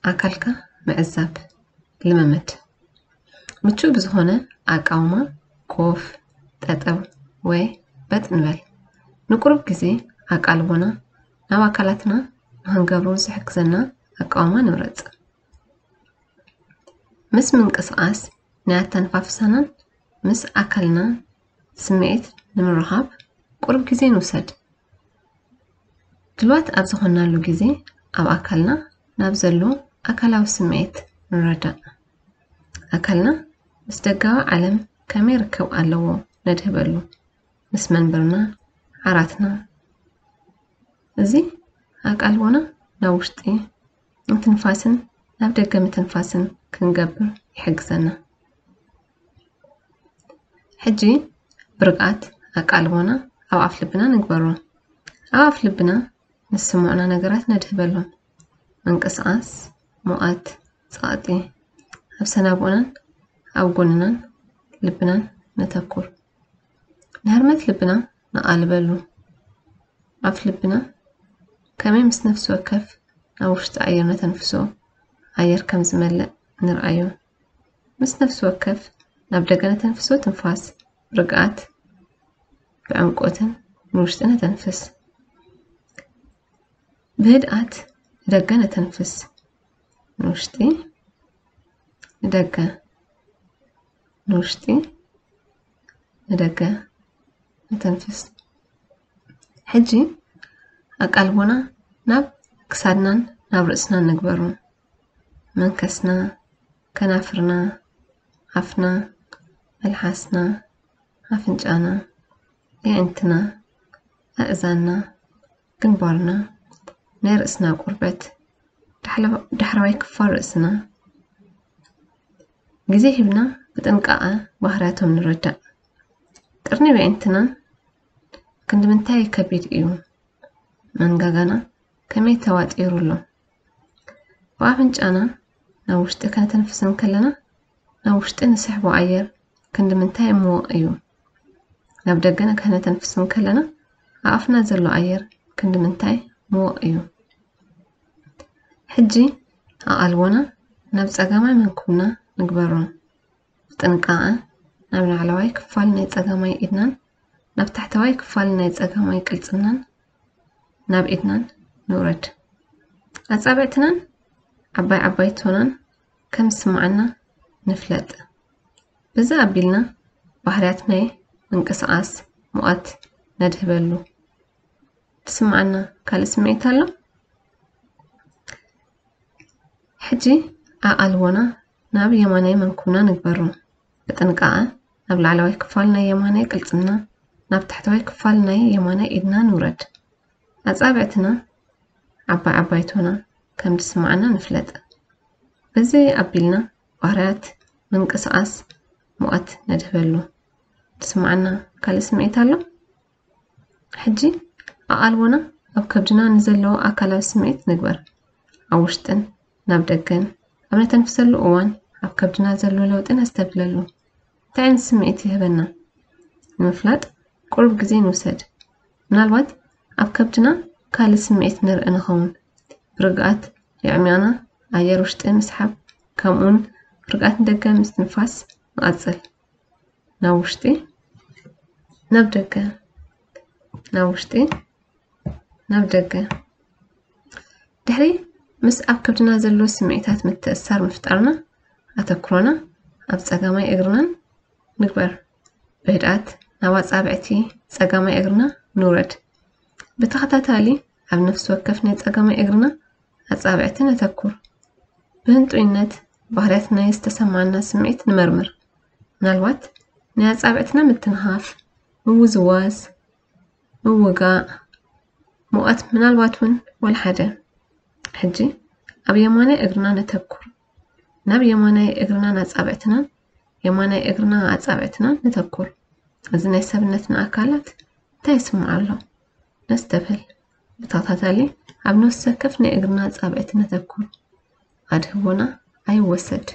ኣካልካ ምዕዛብ ልምምድ። ምቹእ ብዝኾነ ኣቃውማ ኮፍ፣ ጠጠው ወይ በጥ ንበል። ንቁሩብ ግዜ ኣቃልቦና ናብ ኣካላትና ንኽንገብሮ ዝሕግዘና ኣቃውማ ንምረጽ። ምስ ምንቅስቓስ ናይ ኣተነፋፍሳናን ምስ ኣካልና ስምዒት ንምርኻብ ቁሩብ ግዜ ንውሰድ። ድልዋት ኣብ ዝኾንናሉ ግዜ ኣብ ኣካልና ናብ ዘሎ ኣካላዊ ስምዒት ንረዳእ። ኣካልና ምስ ደጋዊ ዓለም ከመይ ርክብ ኣለዎ ነድህበሉ። ምስ መንበርና፣ ዓራትና። እዚ ኣቃልቦና ናብ ውሽጢ ምትንፋስን ናብ ደገ ምትንፋስን ክንገብር ይሕግዘና። ሕጂ ብርግኣት ኣቃልቦና ኣብ ኣፍ ልብና ንግበሮ። ኣብ ኣፍ ልብና ንስምዑና ነገራት ነድህበሎም። ምንቅስቓስ፣ ሙቐት፣ ጸቕጢ። ኣብ ሰናብኡናን ኣብ ጎንናን ልብናን ነተኩር። ንህርመት ልብና ነቓልበሉ። ኣፍ ልብና ከመይ ምስ ነፍሲ ወከፍ ናብ ውሽጢ ኣየር ነተንፍሶ ኣየር ከም ዝመልእ ንርኣዮ። ምስ ነፍሲ ወከፍ ናብ ደገ ነተንፍሶ ትንፋስ ብርግኣት ብዕምቆትን ንውሽጢ ነተንፍስ። ብህድኣት ንደገ ነተንፍስ። ንውሽጢ ንደገ ንውሽጢ ንደገ ነተንፍስ። ሕጂ ኣቃልቦና ናብ ክሳድናን ናብ ርእስናን ንግበሮ። መንከስና፣ ከናፍርና፣ ኣፍና፣ መልሓስና፣ ኣፍንጫና፣ የዕንትና፣ ኣእዛንና፣ ግንባርና፣ ናይ ርእስና ቁርበት፣ ዳሕረዋይ ክፋል ርእስና። ግዜ ሂብና ብጥንቃቐ ባህርያቶም ንረዳእ። ቅርኒ የዕንትና ክንዲ ምንታይ ከቢድ እዩ? መንጋጋና ከመይ ተዋጢሩ ኣሎ? ብኣፍንጫና ናብ ውሽጢ ከነተንፍስ እንከለና ናብ ውሽጢ ንስሕቦ ኣየር ክንዲ ምንታይ ምዉቕ እዩ? ናብ ደገ ከነተንፍስ እንከለና ኣብ ኣፍና ዘሎ ኣየር ክንዲ ምንታይ ምዉቕ እዩ? ሕጂ ኣቓልቦና ናብ ጸጋማይ መንኩብና ንግበሮ። ብጥንቃቐ ናብ ላዕለዋይ ክፋል ናይ ጸጋማይ ኢድናን ናብ ታሕተዋይ ክፋል ናይ ጸጋማይ ቅልጽምናን ናብ ኢድናን ንውረድ። ኣጻብዕትናን ዓባይ ዓባይ ቶናን ከም ዝስምዓና ንፍለጥ። በዚ ኣቢልና ባህርያት ናይ ምንቅስቓስ ሙቐት ነድህበሉ። ትስምዓና ካልእ ስምዒት ኣሎ? ሕጂ ኣቓልቦና ናብ የማናይ መንኩብና ንግበሮ። ብጥንቃቐ ናብ ላዕለዋይ ክፋል ናይ የማናይ ቅልጽምና፣ ናብ ታሕተዋይ ክፋል ናይ የማናይ ኢድና ንውረድ። ኣጻብዕትና ዓባይ ዓባይ ቶና ከም ዝስምዓና ንፍለጥ። በዚ ኣቢልና ባህርያት ምንቅስቓስ ሙቐት ነድህበሉ። ትስምዓና ካልእ ስምዒት ኣሎ? ሕጂ ኣቓልቦና ኣብ ከብድና ንዘለዎ ኣካላዊ ስምዒት ንግበር። ኣብ ውሽጥን ናብ ደገን ኣብ ነተንፍሰሉ እዋን ኣብ ከብድና ዘሎ ለውጢ ነስተብህለሉ። እንታይ ዓይነት ስምዒት ይህበና ንምፍላጥ ቁሩብ ግዜ ንውሰድ። ምናልባት ኣብ ከብድና ካልእ ስምዒት ንርኢ ንኸውን። ብርግኣት የዕሚቕና ኣየር ውሽጢ ምስሓብ፣ ከምኡውን ብርግኣት ንደገ ምስትንፋስ ንቐጽል። ናብ ውሽጢ፣ ናብ ደገ፣ ናብ ውሽጢ፣ ናብ ደገ። ድሕሪ ምስ ኣብ ከብድና ዘሎ ስምዒታት ምትእስሳር ምፍጣርና፣ ኣተኩሮና ኣብ ጸጋማይ እግርናን ንግበር። ብህድኣት ናብ ኣጻብዕቲ ጸጋማይ እግርና ንውረድ። ብተኸታታሊ ኣብ ነፍሲ ወከፍ ናይ ጸጋማይ እግርና ኣጻብዕቲ ነተኩር። ብህንጡይነት ባህርያት ናይ ዝተሰማዓና ስምዒት ንመርምር። ምናልባት ናይ ኣጻብዕትና ምትንኻፍ፣ ምውዝዋዝ፣ ምውጋእ፣ ሙቐት፣ ምናልባት እውን ወላ ሓደ። ሕጂ ኣብ የማናይ እግርና ነተኩር። ናብ የማናይ እግርናን ኣጻብዕትናን፣ የማናይ እግርና ኣጻብዕትናን ነተኩር። እዚ ናይ ሰብነትና ኣካላት እንታይ ይስምዖ ኣሎ? ነስተብህል። ብተኸታታሊ ኣብ ነፍሲ ወከፍ ናይ እግርና ኣጻብዕቲ ነተኩር። ኣድህቦና ኣይወሰድ።